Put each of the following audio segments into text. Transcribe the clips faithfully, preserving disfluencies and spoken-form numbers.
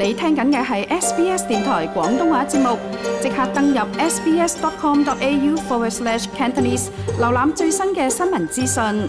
你聽緊嘅係 S B S 電台廣東話節目，即刻登入 sbs.com.au forward slash Cantonese， 瀏覽最新嘅新聞資訊。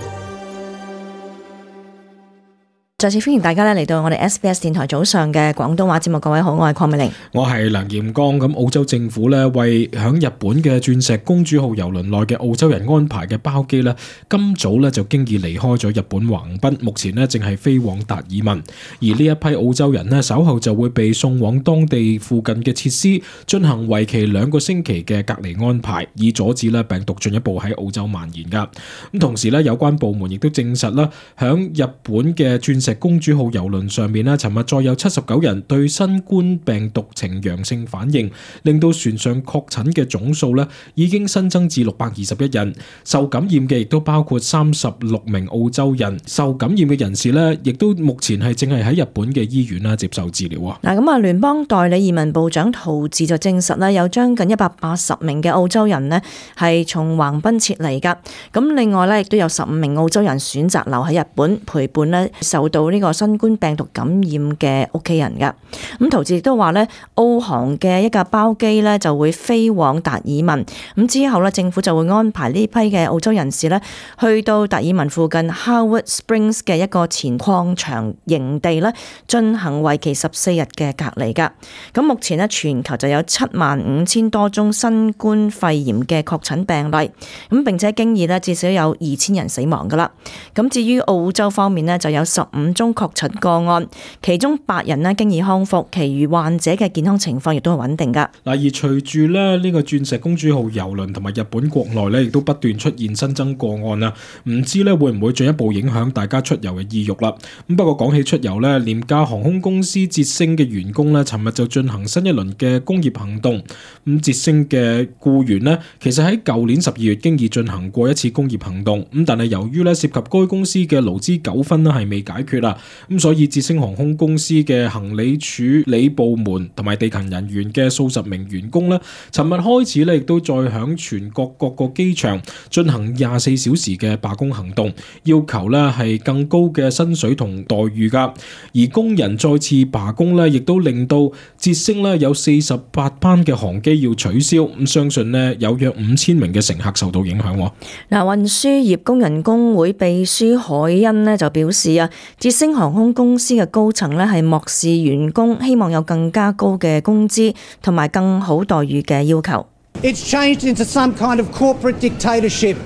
再次歡迎大家咧嚟到我哋 S B S 電台早上嘅廣東話節目，各位好，我係鄺美玲，我係梁彥剛。咁澳洲政府咧為響日本嘅鑽石公主號郵輪內嘅澳洲人安排嘅包機咧，今早咧就經已離開咗日本橫濱，目前咧正係飛往達爾文。而呢一批澳洲人咧稍後就會被送往當地附近嘅設施進行為期兩個星期嘅隔離安排，以阻止咧病毒進一步喺澳洲蔓延噶。咁同時咧有關部門亦都證實啦，響日本嘅鑽石公主號郵輪上面咧，尋日再有七十九人對新冠病毒呈陽性反應，令到船上確診嘅總數咧已經新增至六百二十一人。受感染嘅亦都包括三十六名澳洲人。受感染嘅人士咧，亦都目前係正係喺日本嘅醫院啦接受治療啊。嗱，咁啊，聯邦代理移民部長陶治就證實咧，有將近一百八十名嘅澳洲人咧係從橫濱撤離噶。咁另外咧，亦都有十五名澳洲人選擇留喺日本陪伴咧受到呢個新冠病毒感染嘅屋企人噶。咁陶治亦都話咧，澳航嘅一架包機咧就會飛往達爾文，咁之後咧政府就會安排呢批嘅澳洲人士咧去到達爾文附近 Howard Springs 嘅一個前礦場營地咧進行為期十四日嘅隔離噶。咁目前咧全球就有七萬五千多宗新冠肺炎嘅確診病例，咁並且經已咧至少有二千人死亡噶啦。咁至於澳洲方面咧就有十五宗確診個案，其中八人咧經已康復，其餘患者嘅健康情況亦都係穩定噶。嗱，而隨住咧呢個鑽石公主號郵輪同埋日本國內咧，亦都不斷出現新增個案啦，唔知咧會唔會進一步影響大家出遊嘅意欲啦？咁不過講起出遊咧，廉價航空公司捷星嘅員工咧，尋日就進行新一輪嘅工業行動。咁捷星嘅僱員咧，其實喺舊年十二月經已進行過一次工業行動，咁但係由於咧涉及該公司嘅勞資糾紛咧係未解決啦，咁所以捷星航空公司嘅行李處理部門同埋地勤人員嘅數十名員工咧，尋日開始咧亦都再響全國各個機場進行廿四小時嘅罷工行動，要求咧係更高嘅薪水同待遇噶。而工人再次罷工咧，亦都令到捷星咧有四十八班嘅航機要取消，咁相信咧有約五千名嘅乘客受到影響。嗱，運輸業工人工會秘書海恩咧就表示啊，捷星航空公司嘅高層咧係漠視員工希望有更加高嘅工資同埋更好待遇嘅要求。It's changed into some kind of corporate dictatorship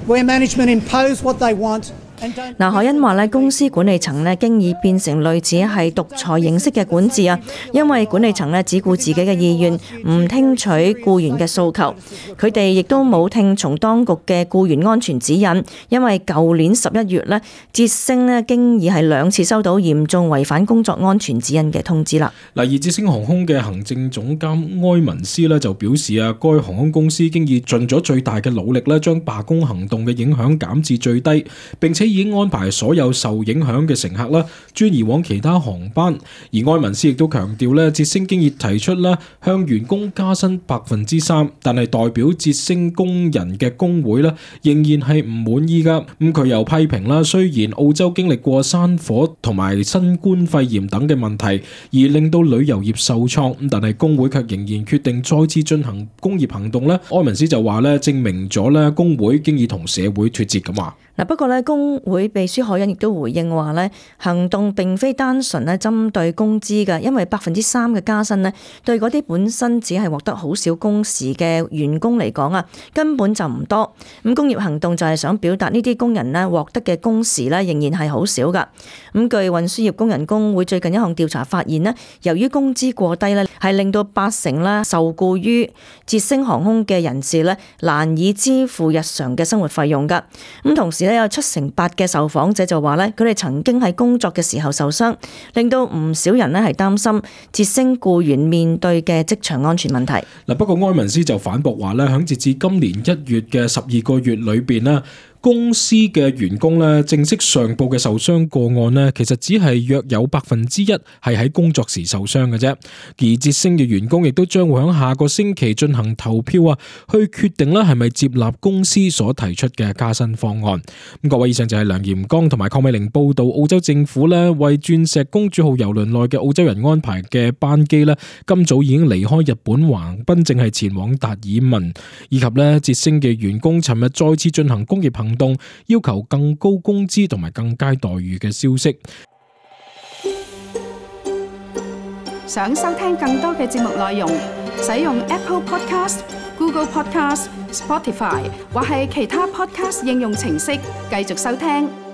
where management impose what they want. 嗱，海恩話咧，公司管理層咧經已變成類似係獨裁形式嘅管治啊，因為管理層咧只顧自己嘅意願，唔聽取僱員嘅訴求。佢哋亦都冇聽從當局嘅僱員安全指引，因為舊年十一月咧，捷星咧經已係兩次收到嚴重違反工作安全指引嘅通知啦。嗱，而捷星航空嘅行政總監埃文斯咧就表示啊，該航空公司經已盡咗最大嘅努力咧，將罷工行動嘅影響減至最低，並且已經安排所有受影響嘅乘客啦，轉移往其他航班。而埃文斯亦都強調咧，捷星經已提出啦，向員工加薪百分之三，但係代表捷星工人嘅工會咧，仍然係唔滿意噶。咁佢又批評啦，雖然澳洲經歷過山火同埋新冠肺炎等嘅問題，而令到旅遊業受創，咁但係工會卻仍然決定再次進行工業行動咧。埃文斯就話咧，證明咗咧工會經已同社會脫節咁話。嗱，不過咧，工會秘書海恩亦都回應話咧，行動並非單純咧針對工資嘅，因為百分之三嘅加薪咧，對嗰啲本身只係獲得好少工時嘅員工嚟講啊，根本就唔多。咁工業行動就係想表達呢啲工人咧獲得嘅工時咧，仍然係好少噶。咁據運輸業工人工會最近一項調查發現咧，由於工資過低咧，係令到八成啦受僱於捷星航空嘅人士咧難以支付日常嘅生活費用噶。咁同時有七成八嘅受訪者就話咧，佢哋曾經喺工作嘅時候受傷，令到唔少人咧係擔心捷星僱員面對嘅職場安全問題。嗱，不過埃文斯就反駁話咧，響截至今年一月嘅十二個月裏邊咧，公司嘅員工咧正式上報嘅受傷個案呢，其實只係約有百分之一係喺工作時受傷嘅啫。而捷星嘅員工亦都將會喺下個星期進行投票啊，去決定咧係咪接納公司所提出嘅加薪方案。咁各位，以上就係梁炎剛同埋鄺美玲報道澳洲政府咧為鑽石公主號郵輪內嘅澳洲人安排嘅班機咧，今早已經離開日本橫濱，正係前往達爾文，以及咧捷星嘅員工尋日再次進行工業行動，要求更高工資同埋更佳待遇嘅消息。想收聽更多嘅節目內容，使用 Apple Podcast、Google Podcast、Spotify 或係其他 Podcast 應用程式繼續收聽。